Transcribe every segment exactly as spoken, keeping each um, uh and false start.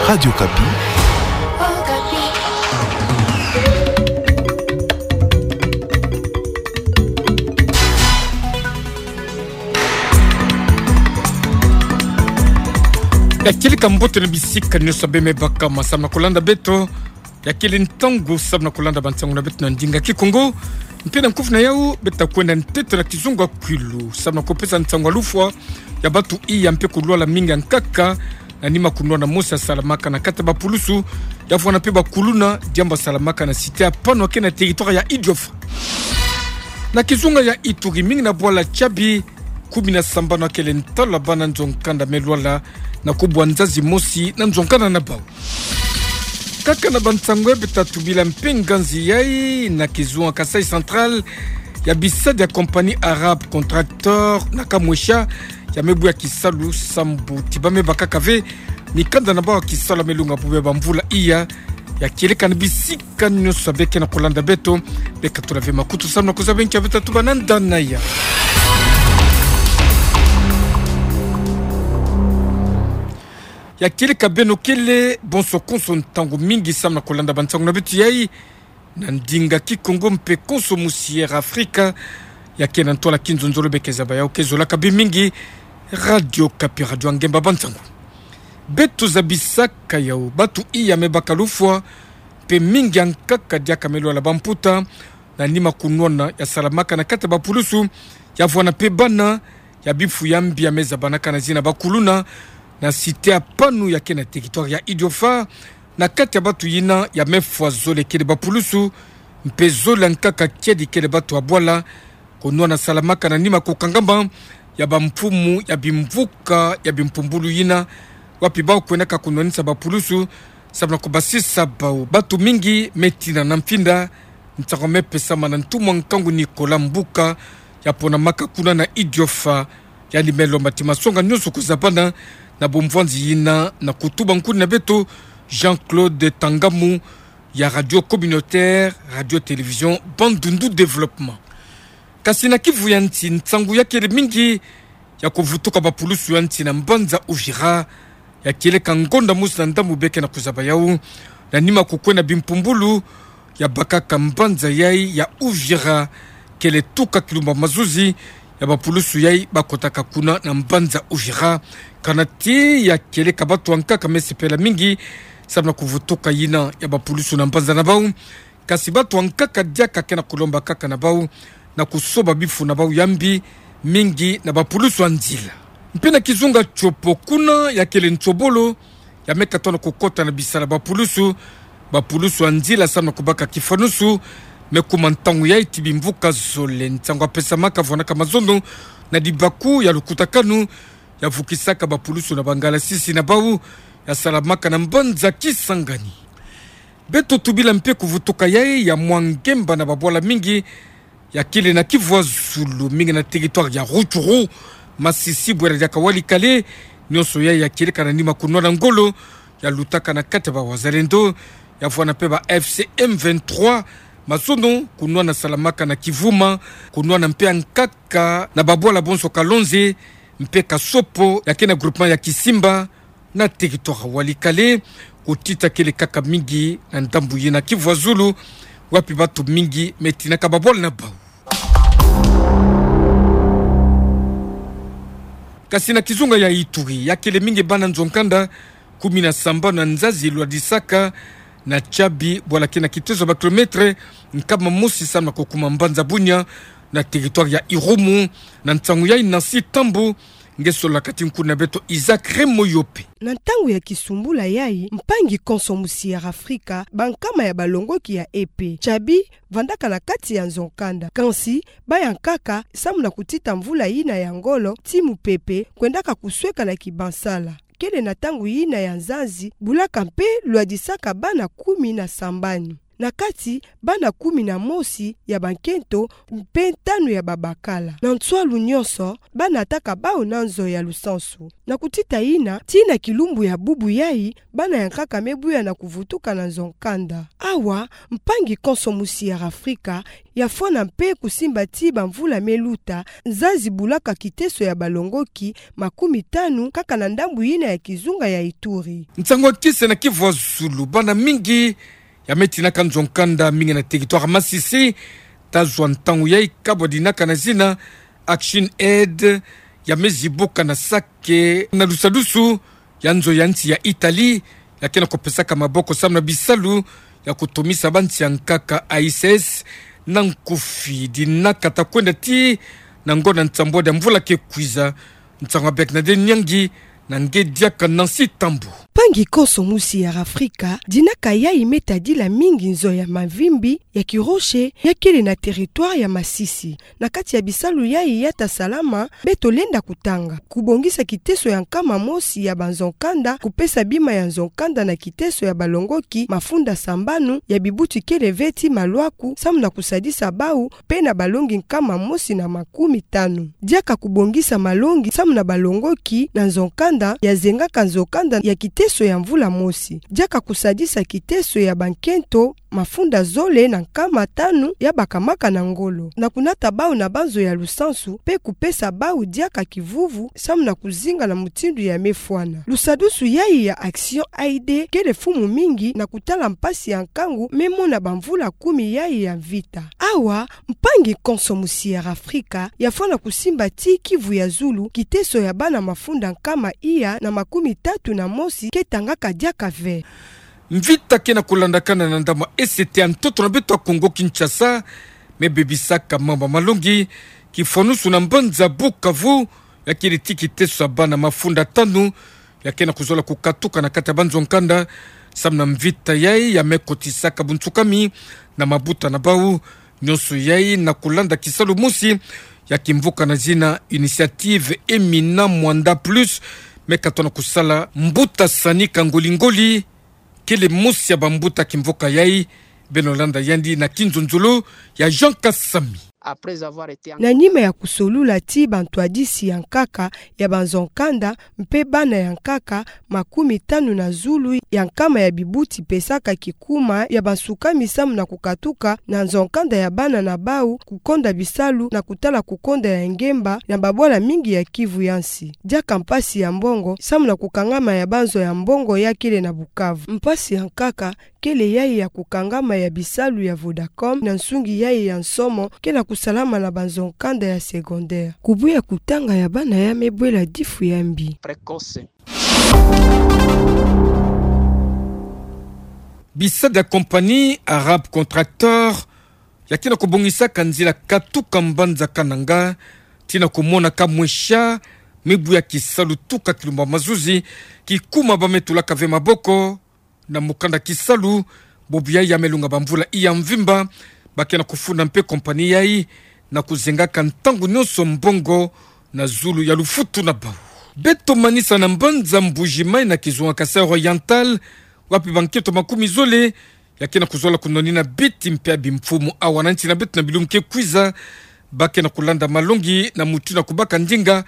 Radio Okapi. Ya kieleka mbote na bisika nyonso beno me baka ma samu na kolanda beto. Ya kele ntangu samu na kolanda bansangu na beto na ndinga Kikongo. Mpe na nkufi na yau, beto ta kwenda ntete na kizunga kwilu samu na kopesa nsangu ya lufwa ya batu iya mpe kulwala mingi ya nkaka na nima kunwana mosi yasalamaka na kati ya bapulusu, ya vwanda mpe bakuluna, diambu yasalamaka na cité ya Pano ya ke na territoire ya Idiofa. Na kizunga ya Ituri, mingi na bwala Tiabi, kumi na sambanu ya kele ntalo ya bana nzo-nkanda me lwala na kubwa nzazi mosi na nzo-nkanda na bau. Kaka na bansangu ya beto ta tubila mpe nganzi yai na kizunga Kasaï Central, ya bisadi ya compagnie arabe Contracteur na Kamwesha, ya me buya kisalu sambu ti ba me bakaka ve mikanda na bau ya kisalu ya me lunga bubia bamvula iya. Ya kieleka na bisika nyonso beno ke na kolanda beto, beno ka tula ve makutu samu na kuzaba nki ya beto ta tuba na ndana ya. Ya kieleka beno kele bonso konso ntangu mingi samu na kolanda bansangu na beto yai na ndinga Kikongo mpe konso musi Air Afrika ya ke na ntwala kinzonzolo. Beno ke zaba yau ke zolaka bê mingi Radio Okapi, radio ya ngemba bansangu. Beto zabisaka yau, batu iya me baka lufwa mpe mingi ya nkaka diaka me lwala bamputa na nima kunwana yasalamaka na kati ya bapulusu, ya vwanda mpe bana, ya bifu ya mbi ya me zabanaka na zina bakuluna, na cité ya Pano ya ke na territoire ya Idiofa, na kati ya batu yina ya me fwa zole kele bapulusu, mpe zole ya nkaka kiadi kele batu ya bwala, kunwana salamaka na nima kukangama ya bamfumu ya bimvuka ya bimpumbulu yina, wapi bau kwendaka kunwanisa bapulusu samu na kubasisa bau. Batu mingi me tina na mfinda. Nsangu me pesama na ntumwa nkangu Nicolas Mbuka, ya ponamaka kuna na Idiofa, yandi me lomba ti masonga nyonso kuzabana na bumvwanzi yina na kutuba nkuni na beto Jean-Claude Tangamu ya Radio Communautaire, Radio Télévision Bandundu Développement. Kasi na kivu ya nsi, nsangu ya kele mingi ya kuvutuka bapulusu ya nsi na mbanza Uvira, ya kieleka ngonda mosi na ndambu beno ke na kuzaba yau, na nima kukwenda bimpumbulu ya bakaka mbanza yai ya Uvira, kele tuka kilumba mazuzi ya bapulusu yai bakotaka kuna na mbanza Uvira. Kana ti ya kieleka batu ya nkaka me sepela mingi samu na kuvutuka yina ya bapulusu na mbanza na bau. Kasi batu ya nkaka diaka ke na kulomba kaka na bau na kusoba bifu na bau ya mbi, mingi na bapulusu ya nzila. Mpe na kizunga Tshopo, kuna ya kele nsobolo ya me katuana kukota na bisala bapulusu, bapulusu ya nzila samu na kubaka kifanusu, me kuma ntangu yai ti bimvuka zole. Nsangu ya pesamaka vwanaka mazono na dibaku ya lukutakanu ya vukisaka bapulusu na bangalasisi na bau, ya salamaka na mbanza Kisangani. Beto tubila mpe kuvutuka yai ya mwa ngemba na babwala mingi ya kele na kivu ya zulu, mingi na territoire ya Rutshuru, Masisi, bwera diaka Walikale. Nyonso yai ya kieleka na nima kunwana ngolo ya lutaka na kati ya ba Wazalendo, ya vwanda mpe ba F C M vingt-trois. Mazono kunwana salamaka na Kivuma, kunwana mpe ya nkaka na babwala bonso Kalonze mpe Kasopo, ya ke na groupement ya Kisimba, na territoire Walikale. Kutita kele kaka mingi na ndambu yina kivu ya zulu, wapi batu mingi me tinaka babwala na bau. Kasi na kizunga ya Ituri, ya kele mingi bana nzo-nkanda kumi na sambanu ya nzazi lwadisaka na Tiabi, bwala ke na kitezo ba kilomètre nkama mosi samu na kukuma mbanza Bunia, na territoire ya Irumu. Na nsangu yai Nancy Tambu nge solaka ti nkuni na beto Isaac Remoyope. Na ntangu ya kisumbula yai, mpangi konso musi ya Afrika, bankama ya balongoki ya E P. Tiabi vandaka na kati ya nzo-nkanda. Kansi, baya nkaka, samu na kutita mvula yina ya ngolo ti mupepe, kwendaka kusweka na kibansala. Kele na ntangu yina ya nzazi, bulaka mpe lwadisaka bana kumi na sambani. Na kati, bana kumi na mosi ya bankento mpe tanu ya babakala. Na nswalu nyonso, bana taka bau na nzo ya lusansu. Na kutita yina, tii na kilumbu ya bubu yayi, bana ya nkaka me buya na kuvutuka na nzo-nkanda. Awa, mpangi konso musi ya Afrika, ya fwana mpe kusimba ti bamvula me luta, nzazi bulaka kiteso ya balongoki makumi tanu kaka na ndambu yina ya kizunga ya Ituri. Nsangu ya kise na kivu ya zulu, bana mingi ya me tinaka nzo-nkanda mingi na territoire Masisi, tazwa ntangu yayi kabwa dinaka na zina Action Aid, ya me zibuka na Sake, na lusadusu ya nzo ya nsi ya Italie, ya ke na kupesaka maboko samu na bisalu ya kutomisa bansi ya nkaka. A I C S na nkufi dinaka ta kwenda tii na ngonda nsambwadi ya mvula ke kwiza. Nsangu ya Bernadette Nyangi na nge diaka Nancy Tambwe. Mpangi konso musi ya Afrika, dinaka yayi me tadila mingi nzo ya mavimbi ya kiroche ya kele na territoire ya Masisi. Na kati ya bisalu yayi ya ta salama, beto lenda kutanga: kubongisa kiteso ya nkama mosi ya banzo-nkanda, kupesa bima ya nzo-nkanda na kiteso ya balongoki mafunda sambanu ya bibuti kele ve tii malwaku, samu na kusadisa bau mpe na balongi nkama mosi na makumi tanu. Diaka kubongisa malongi samu na balongoki na nzo-nkanda ya zengaka nzo-nkanda ya kiteso ya mvula mosi. Diaka kusadisa kiteso ya bankento mafunda zole na nkama tanu ya bakamaka na ngolo, na kunata bau na banzo ya lusansu, mpe kupesa bau diaka kivuvu, samu na kuzinga na mutindu ya me fwana. Lusadusu yayi ya Action Aid kele fumu mingi na kutala mpasi ya nkangu me mona bamvula kumi yayi ya mvita. Awa, mpangi konso musi ya Afrika, ya fwana kusimba tii kivu ya zulu, kiteso ya bana mafunda nkama iya na makumi tatu na mosi ke tangaka diaka ve. Mvita ke na kulandakana na ndambu ya esete ya ntoto na beto ya Kongo Kinshasa, me bebisaka mambu ya malongi, kifwanusu na mbanza Bukavu, ya kele tii kiteso ya bana mafunda tanu ya ke na kuzola kukatuka na kati ya banzo-nkanda, samu na mvita yayi ya me kotisaka bunsukami na mabuta na bau. Nyonso yayi na kulanda kisalu mosi ya kimvuka na zina Initiative Emina Mwanda Plus, me katona kusala. Mbuta Sani Kangoli-Ngoli kele mosi ya bambuta ya kimvuka yayi, beno landa yandi na kinzonzolo ya Jean Kasami. Na nima ya kusolula tii bantwadisi ya nkaka ya banzo-nkanda mpe bana ya nkaka makumi tanu na zulu ya nkama ya bibuti pesaka kikuma ya bansukami samu na kukatuka na nzo-nkanda ya bana na bau, kukonda bisalu na kutala kukonda ya ngemba na babwala mingi ya kivu ya nsi. Diaka mpasi ya mbongo samu na kukangama ya banzo ya mbongo ya kele na Bukavu. Mpasi ya nkaka kele yayi ya kukangama ya bisalu ya Vodacom na nsungi yayi ya nsomo ke na kusalama na banzo-nkanda ya secondaire. Kubuya kutanga ya bana ya me bwela difu ya mbi. Bisadi ya compagnie Arab Contractor ya ke na kubongisaka nzila katuka mbanza Kananga, tii na kumona ka mwesha mibu ya kisalu tuka kilumbu ya mazuzi, kikuma ba me tulaka ve maboko na mukanda kisalu, bobu yayi ya me lunga bamvula iya mvimba. Ba ke na kufunda mpe compagnie yayi na kuzengaka ntangu nyonso mbongo na zulu ya lufutu na bau. Beto manisa na mbanza Mbuji-Mayi na kizunga Kasaï Oriental, wapi bankento makumi zole ya ke na kuzola kunwanina biti mpe ya bimfumu awa na nsi na beto na bilumbu ke kwiza. Ba ke na kulanda malongi na mutindu ya kubaka ndinga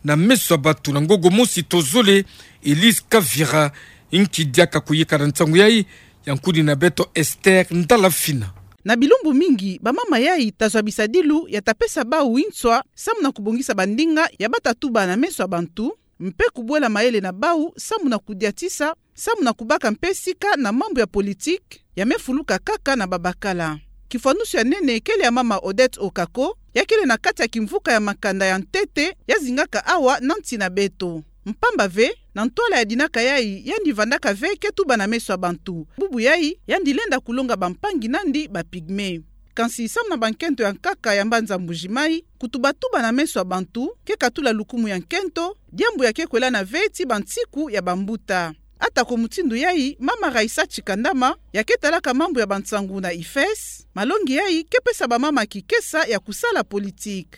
na meso ya batu na ngongo mosi to zole. Elise Kavira, inki diaka kuyika na nsangu yayi, ya nkuni na beto Esther Ndalafina. Na bilumbu mingi, bamama yayi tazwa bisadilu ya ta pesa bau nswa samu na kubongisa bandinga ya ba ta tuba na meso ya bantu, mpe kubwela mayele na bau samu na kudiatisa, samu na kubaka mpe sika na mambu ya politiki ya me fuluka kaka na babakala. Kifwanusu ya nene kele ya mama Odette Okako, ya kele na kati ya kimvuka ya makanda ya ntete ya zingaka awa na nsi na beto. Mpamba ve, na ntwala ya dinaka yayi, yandi vandaka ve ke tuba na meso ya bantu. Bubu yayi, yandi lenda kulonga bampangi nandi ba pygmées. Kansi samu na bankento ya nkaka ya mbanza Mbuji-Mayi, kutubatuba na meso ya bantu ke katula lukumu ya nkento, diambu ya ke kwelana ve tii bansiku ya bambuta. Atako mutindu yayi, mama Raissa Tshikandama, ya ke talaka mambu ya bansangu na IFES, malongi yayi ke pesa bamama kikesa ya kusala politiki.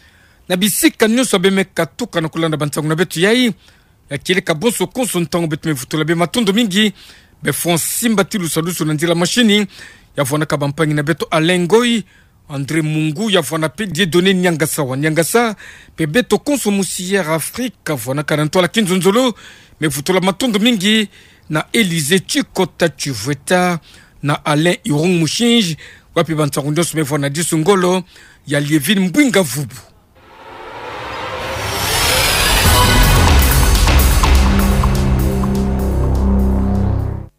Na bisika nyonso ya be me katuka na kulanda bansangu na beto yayi, ya kieleka bonso konso ntangu beto me vutula be matondo mingi. Be fwa nsimba ti lusadusu na nzila mashini, Ya vwanaka bampangi na beto Alain Ngoyi, André Mungu, ya vwana pe Dieudonné Niangasa wa Niangasa, pe beto konso musi Air Afrique, vwanaka na ntoa-la kinzonzolo, me vutu la matondo mingi na Élysée Tchikota Tchivweta, na Alain Irung Mushinji, wapi bansangu nyonso me vwana disu ngolo, ya Liévine Mbouinga Vubu.